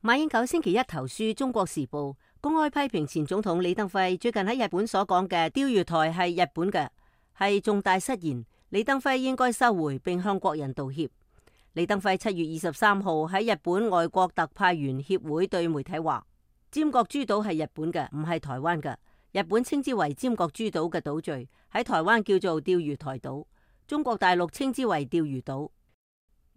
馬英九星期一投書《中國時報》，公開批評前總統李登輝最近喺日本所講嘅釣魚台係日本嘅，係重大失言。李登輝應該收回並向國人道歉。李登輝7月23號喺日本外國特派員協會對媒體話：尖閣諸島係日本嘅，唔係台灣嘅。日本稱之為尖閣諸島嘅島嶼，喺台灣叫做釣魚台島，中國大陸稱之為釣魚島。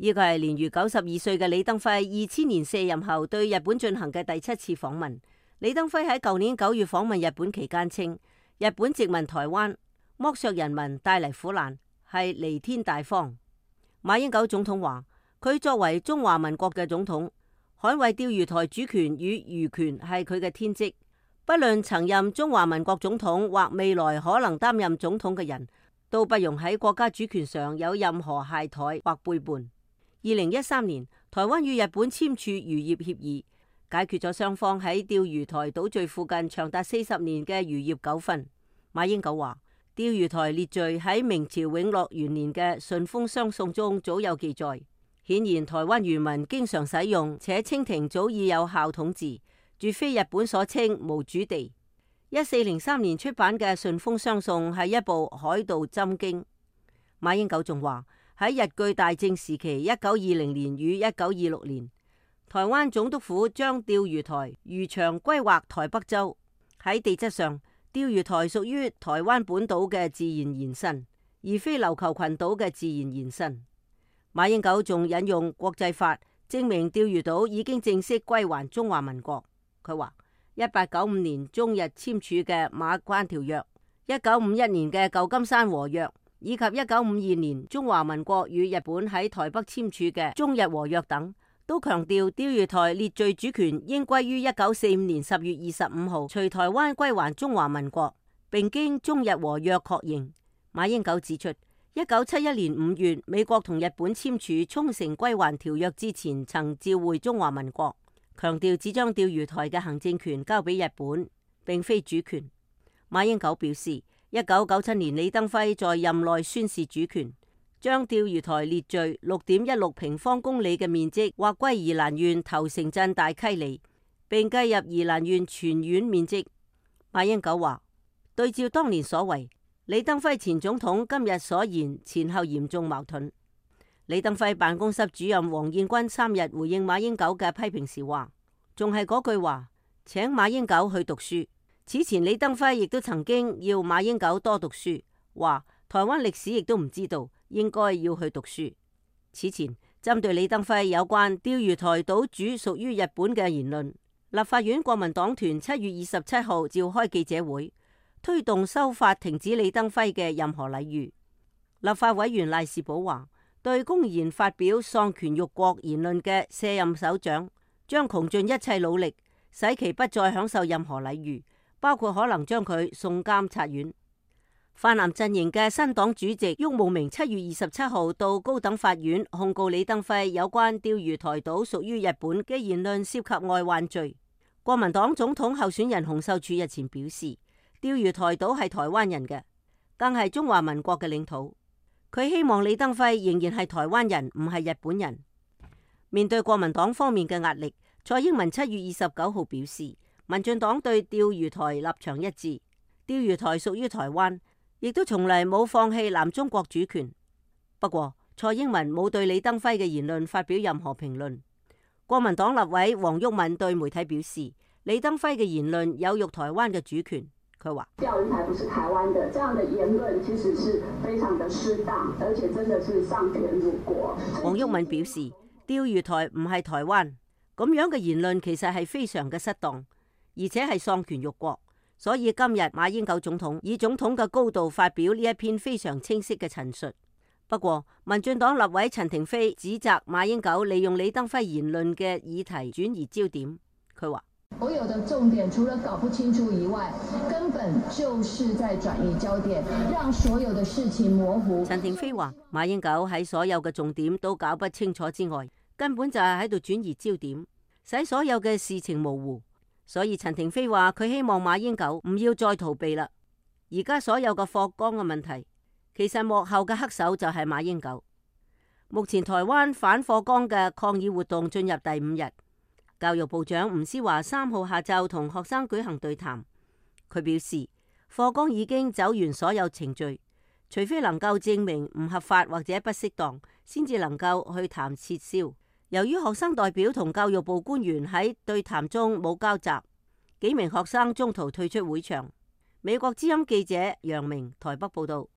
呢個係年逾92歲嘅李登輝2000年卸任後對日本進行嘅第7次訪問。李登輝喺舊年9月訪問日本期間稱，日本殖民台灣，剝削人民，帶嚟苦難，係彌天大謊。馬英九總統話，佢作為中華民國嘅總統，捍衛釣魚台主權與漁權係佢嘅天職。不論曾任中華民國總統或未來可能擔任總統嘅人，都不容喺國家主權上有任何懈怠或背叛。2013年，台灣與日本簽署漁業協議，解決咗雙方喺釣魚台島嶼附近長達40年嘅漁業糾紛。馬英九話，釣魚台列嶼喺明朝永樂元年嘅順風雙宋中早有記載，顯然台灣漁民經常使用，且清廷早已有效統治，絕非日本所稱無主地。1403年出版嘅順風雙宋係一部海盜針經。馬英九仲話，喺日據大正時期1920年與1926年，台灣總督府將釣魚台漁場歸劃台北州。喺地質上，釣魚台屬於台灣本島嘅自然延伸，而非琉球群島嘅自然延伸。馬英九仲引用國際法證明釣魚島已經正式歸還中華民國。佢話1895年中日簽署嘅馬關條約、1951年嘅舊金山和約，以及1952年中華民國與日本喺台北簽署嘅中日和約等，都強調釣魚台列嶼主權應歸於1945年10月25號隨台灣歸還中華民國，並經中日和約確認。馬英九指出，1971年5月美國同日本簽署沖繩歸還條約之前，曾召會中華民國，強調只將釣魚台嘅行政權交俾日本，並非主權。馬英九表示，1997年李登輝在任內宣示主權，將釣魚台列嶼6.16平方公里嘅面積劃歸宜蘭縣頭城鎮大溪里，並計入宜蘭縣全縣面積。馬英九話，對照當年所為，李登輝前總統今日所言前後嚴重矛盾。李登輝辦公室主任黃燕軍3日回應馬英九嘅批評時話，仲係嗰句話，請馬英九去讀書。此前李登輝亦都曾經要馬英九多讀書，話台灣歷史亦都唔知道，應該要去讀書。此前針對李登輝有關釣魚台島主屬於日本嘅言論，立法院國民黨團7月27號召開記者會，推動修法停止李登輝嘅任何禮遇。立法委員賴士葆話，對公然發表喪權辱國言論嘅卸任首長，將窮盡一切努力，使其不再享受任何禮遇，包括可能將佢送監察院。泛藍陣營嘅新黨主席郁慕明7月27號到高等法院控告李登輝有關釣魚台島屬於日本嘅言論涉及外患罪。國民黨總統候選人洪秀柱日前表示，釣魚台島係台灣人嘅，更係中華民國嘅領土。佢希望李登輝仍然係台灣人，唔係日本人。面對國民黨方面嘅壓力，蔡英文7月29號表示，民進黨對釣魚台立場一致，釣魚台屬於台灣，亦都從來冇放棄南中國主權。不過，蔡英文冇對李登輝嘅言論發表任何評論。國民黨立委黃毓民對媒體表示，李登輝嘅言論有辱台灣嘅主權。佢話：釣魚台不是台灣的，這樣的言論其實是非常的失當，而且真的是喪權辱國。黃毓民表示，釣魚台唔係台灣，咁樣嘅言論其實係非常嘅失當，而且係喪權辱國。所以今日馬英九總統以總統嘅高度發表呢一篇非常清晰嘅陳述。不過，民進黨立委陳亭妃指責馬英九利用李登輝言論嘅議題轉移焦點。佢話：所有的重點除了搞不清楚以外，根本就是在轉移焦點，讓所有的事情模糊。陳亭妃話，馬英九喺所有嘅重點都搞不清楚之外，根本就係喺度轉移焦點，使所有嘅事情模糊。所以陳亭妃話，佢希望馬英九唔要再逃避啦。而家所有嘅霍光嘅問題，其實幕後嘅黑手就係馬英九。目前台灣反霍光嘅抗議活動進入第5日。教育部長吳思華3號下晝同學生舉行對談，佢表示課綱已經走完所有程序，除非能夠證明唔合法或者不適當，先至能夠去談撤銷。由於學生代表同教育部官員喺對談中冇交集，幾名學生中途退出會場。美國之音記者楊明台北報道。